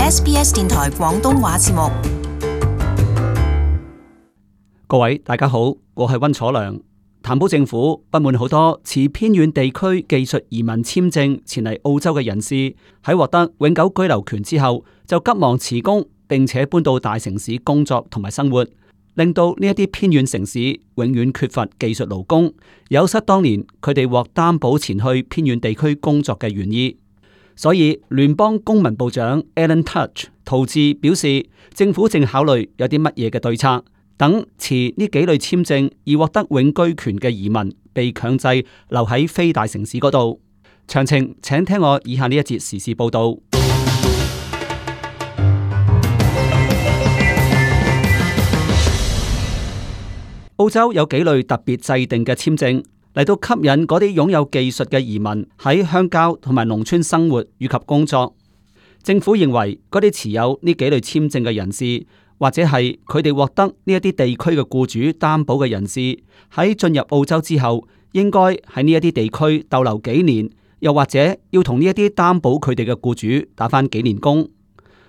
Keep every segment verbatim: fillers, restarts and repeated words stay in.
S B S 電台廣東話節目。各位大家好，我係溫楚良。譚寶政府不滿好多持偏遠地區技術移民簽證前嚟澳洲嘅人士，喺獲得永久居留權之後，就急忙辭工，並且搬到大城市工作同埋生活，令到呢一啲偏遠城市永遠缺乏技術勞工，有失當年佢哋獲擔保前去偏遠地區工作嘅原意。所以聯邦公民部長 Alan Tudge 陶治表示，政府正考慮有啲乜嘢嘅對策，等持呢幾類簽證而獲得永居權嘅移民被強制留喺非大城市嗰度。詳情請聽我以下呢一節時事報道。澳洲有幾類特別制定嘅簽證，嚟到吸引嗰啲擁有技術嘅移民喺鄉郊同埋農村生活以及工作。政府認為嗰啲持有呢幾類簽證嘅人士，或者係佢哋獲得呢一啲地區嘅僱主擔保嘅人士，喺進入澳洲之後，應該喺呢一啲地區逗留幾年，又或者要同呢一啲擔保佢哋嘅僱主打返幾年工。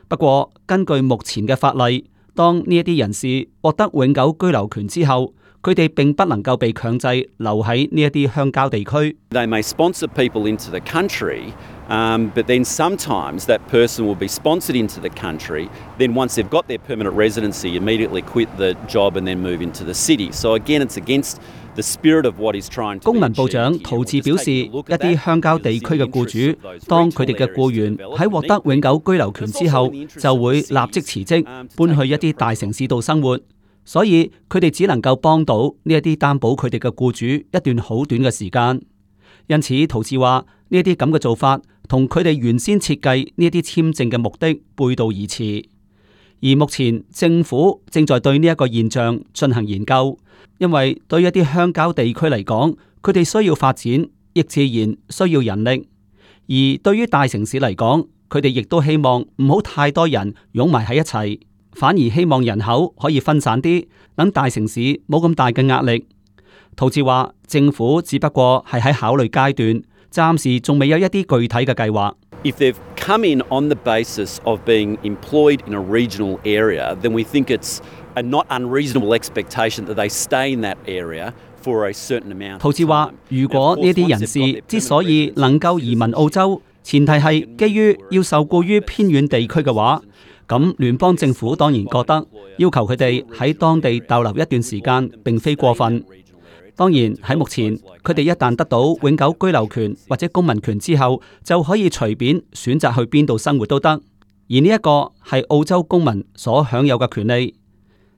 不過根據目前嘅法例，當呢一啲人士獲得永久居留權之後，佢哋並不能夠被強制留喺呢一啲鄉郊地區。They may sponsor people into the country, um, but then sometimes that person will be sponsored into the country. Then once they've got their permanent residency, immediately quit the job and then move into the city. So again, it's against the spirit of what is trying to be achieved. 公民部長陶治表示，一啲鄉郊地區嘅僱主，當佢哋嘅僱員喺獲得永久居留權之後，就會立即辭職，搬去一啲大城市度生活。所以佢哋只能夠幫到呢一啲擔保佢哋嘅僱主一段好短嘅時間，因此陶治話呢一啲咁嘅做法同佢哋原先設計呢一啲簽證嘅目的背道而馳。而目前政府正在對呢一個現象進行研究，因為對一啲鄉郊地區嚟講，佢哋需要發展，亦自然需要人力；而對於大城市嚟講，佢哋亦都希望唔好太多人擁埋喺一齊。反而希望人口可以分散啲，等大城市冇咁大嘅壓力。陶治話，政府只不過係喺考慮階段，暫時仲未有一啲具體嘅計劃。If they've come in on the basis of being employed in a regional area, then we think it's a not unreasonable expectation that they stay in that area for a certain amount. 陶治話，如果呢啲人士之所以能夠移民澳洲，前提係基於要受雇於偏遠地區嘅話，咁聯邦政府當然覺得要求佢哋喺當地逗留一段時間並非過分。當然喺目前，佢哋一旦得到永久居留權或者公民權之後，就可以隨便選擇去邊度生活都得。而呢一個係澳洲公民所享有嘅權利。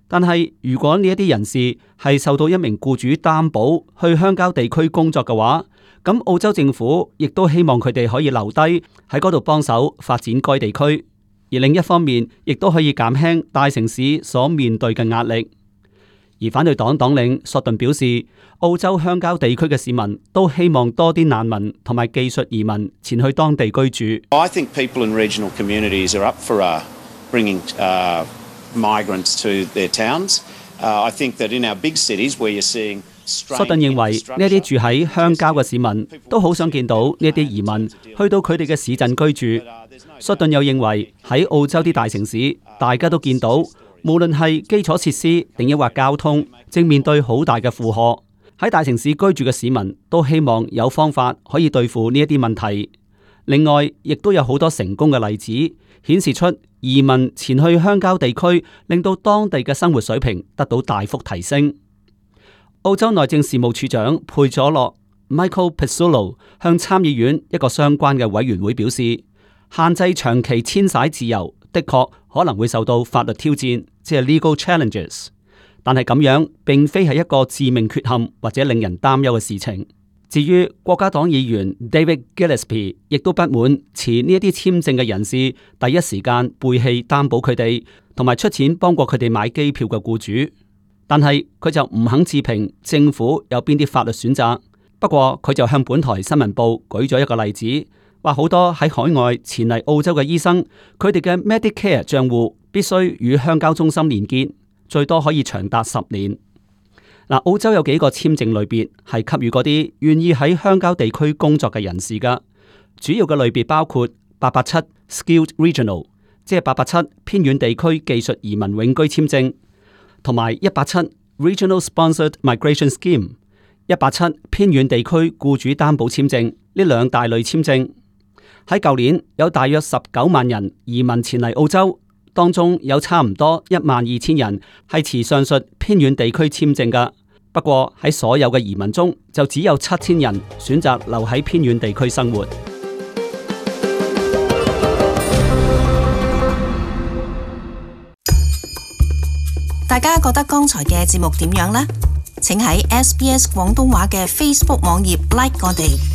但係如果呢一啲人士係受到一名僱主擔保去鄉郊地區工作嘅話，咁澳洲政府亦都希望佢哋可以留低喺嗰度幫手發展該地區。而另一方面，亦都可以減輕大城市所面對嘅壓力。而反對黨黨領索頓表示，澳洲鄉郊地區嘅市民都希望多啲難民同埋技術移民前去當地居住。I think people in regional communities are up for uh, bringing uh, migrants to their towns. Uh, I think that in our big cities where you're seeing索頓認為呢一啲住喺鄉郊嘅市民都好想見到呢一啲移民去到佢哋嘅市鎮居住。索頓又認為喺澳洲啲大城市，大家都見到無論係基礎設施定抑或交通，正面對好大嘅負荷。喺大城市居住嘅市民都希望有方法可以對付呢一啲問題。另外，亦都有好多成功嘅例子，顯示出移民前去鄉郊地區，令到當地嘅生活水平得到大幅提升。澳洲內政事務處長佩佐洛 Michael Pezzullo 向參議院一個相關嘅委員會表示，限制長期遷徙自由的確可能會受到法律挑戰，即係 legal challenges。但係咁樣並非係一個致命缺陷或者令人擔憂嘅事情。至於國家黨議員 David Gillespie 亦都不滿持呢一啲簽證嘅人士第一時間背棄擔保佢哋，同埋出錢幫過佢哋買機票嘅僱主。但係佢就唔肯置評政府有邊啲法律選擇。不過佢就向本台新聞報舉咗一個例子，話好多喺海外前嚟澳洲嘅醫生，佢哋嘅 Medicare 賬戶必須與鄉郊中心連結，最多可以長達十年。嗱，澳洲有幾個簽證類別係給予嗰啲願意喺鄉郊地區工作嘅人士㗎，主要嘅類別包括八八七 Skilled Regional，即係八八七偏遠地區技術移民永居簽證，同埋一八七 Regional Sponsored Migration Scheme 一八七偏遠地區僱主擔保簽證呢兩大類簽證。喺舊年有大約十九萬人移民前嚟澳洲，當中有差唔多一萬二千人係持上述偏遠地區簽證㗎。不過喺所有嘅移民中，就只有七千人選擇留喺偏遠地區生活。大家覺得剛才嘅節目點樣呢？請喺 S B S 廣東話嘅 Facebook 網頁 like 我哋。